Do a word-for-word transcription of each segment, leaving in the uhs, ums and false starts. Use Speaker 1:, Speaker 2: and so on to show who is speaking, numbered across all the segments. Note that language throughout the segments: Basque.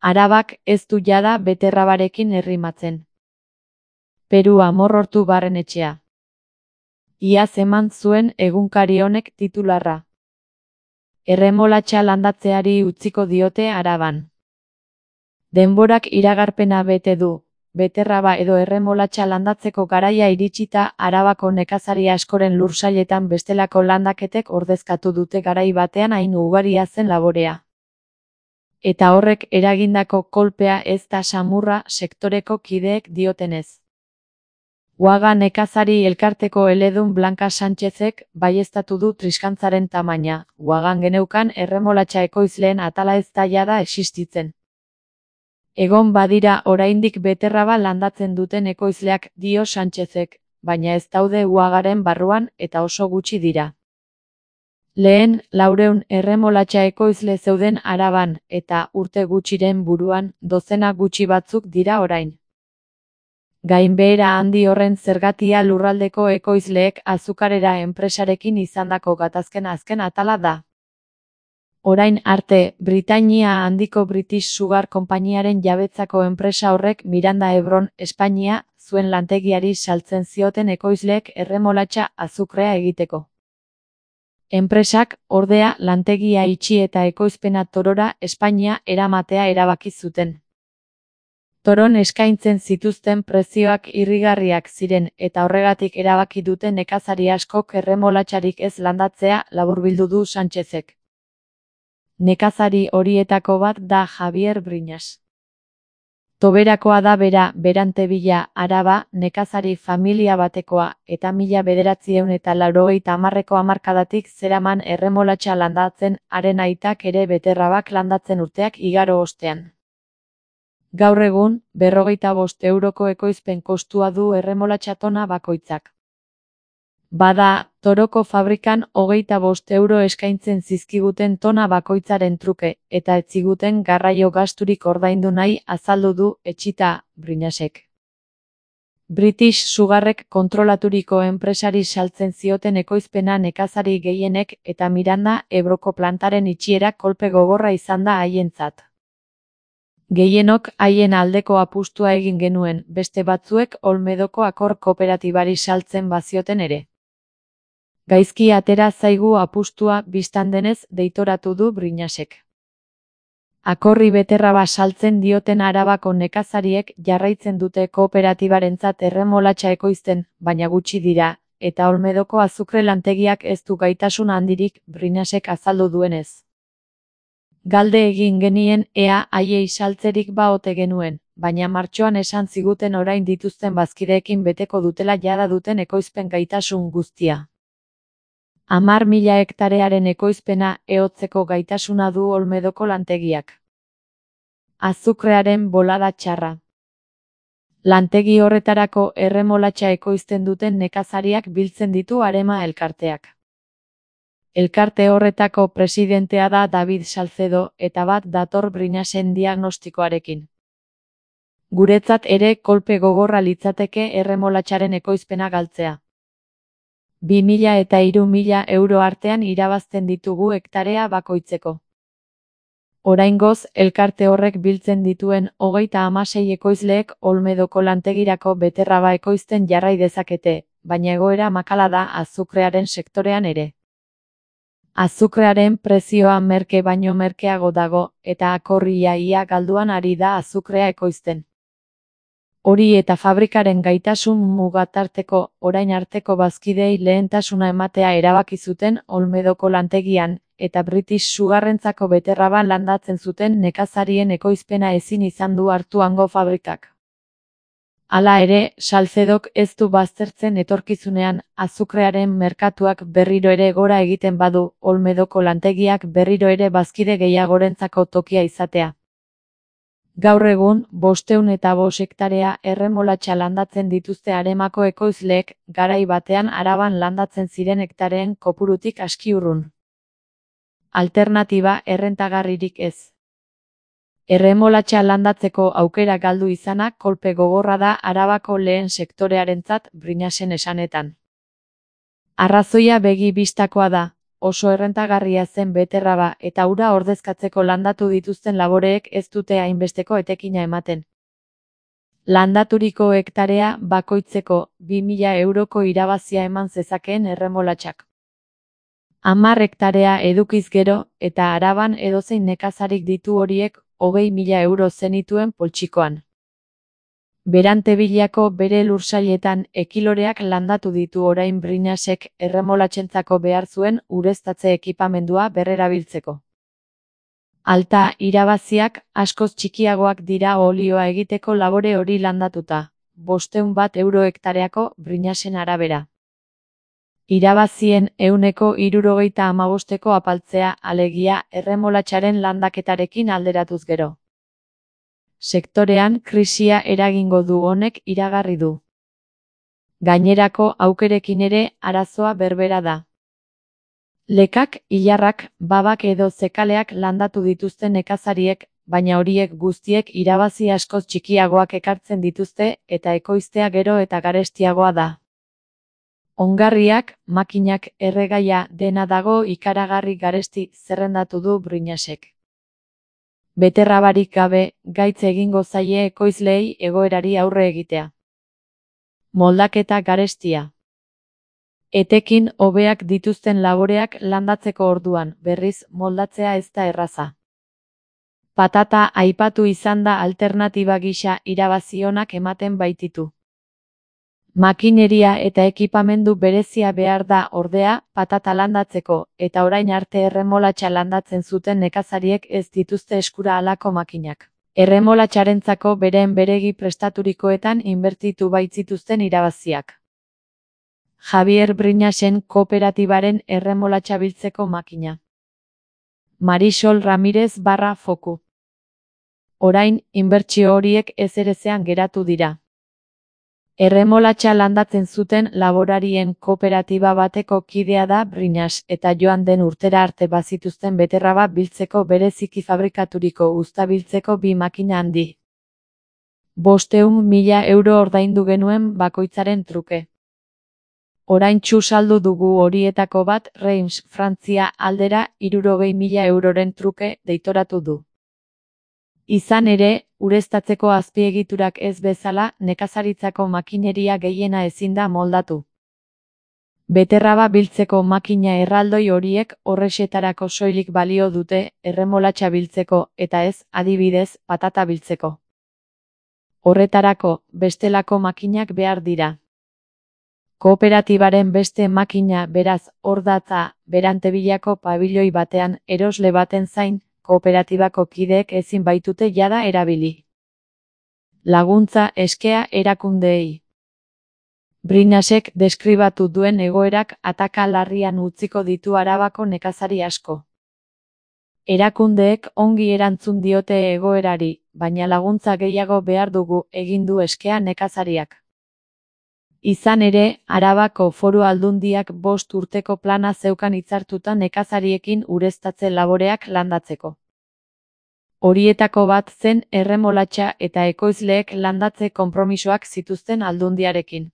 Speaker 1: Arabak ez du jada beterrabarekin errimatzen. Peru Amorortu Barrenetxea. Iaz eman zuen egunkari honek titularra. Erremolatxa landatzeari utziko diote Araban. Denborak iragarpena bete du, beterraba edo erremolatxa landatzeko garaia iritsita Arabako nekazari askoren lursailetan bestelako landaketek ordezkatu dute garai batean hain ugaria zen laborea. Eta horrek eragindako kolpea ez da samurra sektoreko kideek diotenez. Uaga nekazari elkarteko eledun Blanca Sánchezek baieztatu du triskantzaren tamaina, Uagan geneukan erremolatxa ekoizleen atala ez da jada existitzen. Egon badira oraindik beterraba landatzen duten ekoizleak dio Sánchezek, baina ez daude Uagaren barruan eta oso gutxi dira. Lehen, laureun erremolatxa ekoizle zeuden Araban eta urte gutxiren buruan dozena gutxi batzuk dira orain. Gainbehera handi horren zergatia lurraldeko ekoizleek azukarera enpresarekin izandako gatazken azken atala da. Orain arte, Britainia handiko British Sugar konpainiaren jabetzako enpresa horrek Miranda Ebron, Espainia, zuen lantegiari saltzen zioten ekoizleek erremolatxa azukrea egiteko. Enpresak, ordea, lantegia itxi eta ekoizpena Torora, Espainia, eramatea erabaki zuten. Toron eskaintzen zituzten prezioak irrigarriak ziren eta horregatik erabaki dute nekazari askok erremolatxarik ez landatzea laburbildu du Sánchezek. Nekazari horietako bat da Javier Briñas. Toberakoa da bera, Berantebilla, Araba, nekazari familia batekoa eta mila bederatziehun eta laurogeita hamarreko hamarkadatik zeraman erremolatxa landatzen, haren aitak ere beterrabak landatzen urteak igaro ostean. Gaur egun, berrogeita bost euroko ekoizpen kostua du erremolatxa tona bakoitzak. Bada, Toroko fabrikan hogeita bost euro eskaintzen zizkiguten tona bakoitzaren truke, eta ez ziguten garraio gasturik ordaindu nahi azaldu du etxita, Briñasek. British Sugarrek kontrolaturiko enpresari saltzen zioten ekoizpena nekazari gehienek eta Miranda Ebroko plantaren itxiera kolpe gogorra izan da haientzat. Gehienok haien aldeko apustua egin genuen, beste batzuek Olmedoko Akor kooperatibari saltzen bazioten ere. Gaizki atera zaigu apustua bistan denez deitoratu du Briñasek. Akorri beterraba saltzen dioten Arabako nekazariek jarraitzen dute kooperatibarentzat erremolatxa ekoizten, baina gutxi dira, eta Olmedoko azukre lantegiak ez du gaitasun handirik, Briñasek azaldu duenez. Galde egin genien ea haiei saltzerik ba ote genuen, baina martxoan esan ziguten orain dituzten bazkideekin beteko dutela jada duten ekoizpen gaitasun guztia. Hamar mila hektarearen ekoizpena ehotzeko gaitasuna du Olmedoko lantegiak. Azukrearen bolada txarra. Lantegi horretarako erremolatxa ekoizten duten nekazariak biltzen ditu Arema elkarteak. Elkarte horretako presidentea da David Salcedo eta bat dator Briñasen diagnostikoarekin. Guretzat ere kolpe gogorra litzateke erremolatxaren ekoizpena galtzea. Bi mila eta hiru mila euro artean irabazten ditugu hektarea bakoitzeko. Oraingoz, elkarte horrek biltzen dituen hogeita hamasei ekoizleek Olmedoko lantegirako beterraba ekoizten jarrai dezakete, baina egoera makala da azukrearen sektorean ere. Azukrearen prezioa merke baino merkeago dago, eta Akorria ia galduan ari da azukrea ekoizten. Hori eta fabrikaren gaitasun mugatarteko orain arteko bazkidei lehentasuna ematea erabaki zuten Olmedoko lantegian, eta British Sugarrentzako beterraba landatzen zuten nekazarien ekoizpena ezin izan du hartu hango fabrikak. Hala ere, Salcedok ez du baztertzen etorkizunean, azukrearen merkatuak berriro ere gora egiten badu, Olmedoko lantegiak berriro ere bazkide gehiagorentzako tokia izatea. Gaur egun, bosteun eta bost hektarea erremolatxa landatzen dituzte Aremako ekoizleek, garai batean Araban landatzen ziren hektareen kopurutik aski urrun. Alternatiba errentagarririk ez. Erremolatxa landatzeko aukera galdu izana kolpe gogorra da Arabako lehen sektorearentzat, Briñasen esanetan. Arrazoia begi bistakoa da, oso errentagarria zen beterraba eta ura ordezkatzeko landatu dituzten laboreek ez dute hainbesteko etekina ematen. Landaturiko hektarea bakoitzeko bi mila euroko irabazia eman zezakeen erremolatxak. Hamar hektarea edukiz gero eta Araban edozein nekazarik ditu horiek hogei mila euro zenituen poltsikoan. Berantebilako bere lursailetan ekiloreak landatu ditu orain Brinasek erremolatxentzako behar zuen ureztatze ekipamendua berrerabiltzeko. Alta irabaziak askoz txikiagoak dira olioa egiteko labore hori landatuta, bostehun bat euro hektareako Brinasen arabera. Irabazien ehuneko hirurogeita hamabosteko apaltzea alegia erremolatxaren landaketarekin alderatuz gero. Sektorean krisia eragingo du honek iragarri du. Gainerako aukerekin ere arazoa berbera da. Lekak, ilarrak, babak edo zekaleak landatu dituzten nekazariek, baina horiek guztiek irabazi askoz txikiagoak ekartzen dituzte eta ekoiztea gero eta garestiagoa da. Ongarriak, makinak, erregaia dena dago ikaragarri garesti zerrendatu du Brinasek. Beterrabarik gabe, gaitz egingo zaie ekoizleei egoerari aurre egitea. Moldaketa garestia. Etekin hobeak dituzten laboreak landatzeko orduan, berriz moldatzea ez da erraza. Patata aipatu izan da alternatiba gisa irabazi onak ematen baititu. Makineria eta ekipamendu berezia behar da ordea patata landatzeko, eta orain arte erremolatxa landatzen zuten nekazariek ez dituzte eskura halako makinak. Erremolatxarentzako beren beregi prestaturikoetan inbertitu baitzituzten irabaziak. Javier Brinasen kooperatibaren erremolatxa biltzeko makina. Marisol Ramirez barra foku. Orain, inbertsio horiek ez erezean geratu dira. Erremolatxa landatzen zuten laborarien kooperatiba bateko kidea da Brinas eta joan den urtera arte bazituzten beterraba biltzeko bereziki fabrikaturiko uzta biltzeko bi makina handi. Bostehun mila euro ordaindu genuen bakoitzaren truke. Oraintsu saldu dugu horietako bat Reims, Frantzia aldera hirurogei mila euroren truke deitoratu du. Izan ere, ureztatzeko azpiegiturak ez bezala, nekazaritzako makineria gehiena ezin da moldatu. Beterraba biltzeko makina erraldoi horiek horrexetarako soilik balio dute erremolatxa biltzeko eta ez, adibidez, patata biltzeko. Horretarako, bestelako makinak behar dira. Kooperatibaren beste makina beraz hor datza Berantebilako pabiloi batean erosle baten zain, kooperatibako kideek ezin baitute jada erabili. Laguntza eskea erakundeei. Brinasek deskribatu duen egoerak ataka larrian utziko ditu Arabako nekazari asko. Erakundeek ongi erantzun diote egoerari, baina laguntza gehiago behar dugu egin du eskea nekazariak. Izan ere, Arabako Foru Aldundiak bost urteko plana zeukan hitzartuta nekazariekin ureztatze laboreak landatzeko. Horietako bat zen erremolatxa eta ekoizleek landatze konpromisoak zituzten Aldundiarekin.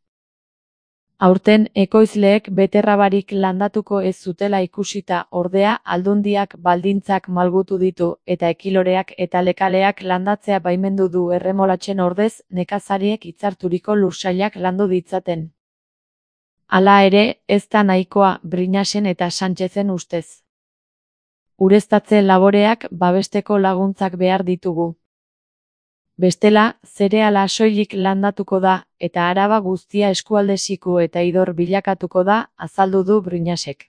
Speaker 1: Aurten ekoizleek beterrabarik landatuko ez zutela ikusita ordea Aldundiak baldintzak malgutu ditu eta ekiloreak eta lekaleak landatzea baimendu du erremolatxen ordez nekazariek hitzarturiko lursailak landu ditzaten. Hala ere, ez da nahikoa Brinasen eta Sánchezen ustez. Ureztatze laboreak babesteko laguntzak behar ditugu. Bestela, zereala soilik landatuko da, eta Araba guztia eskualde siku eta idor bilakatuko da, azaldu du Brinasek.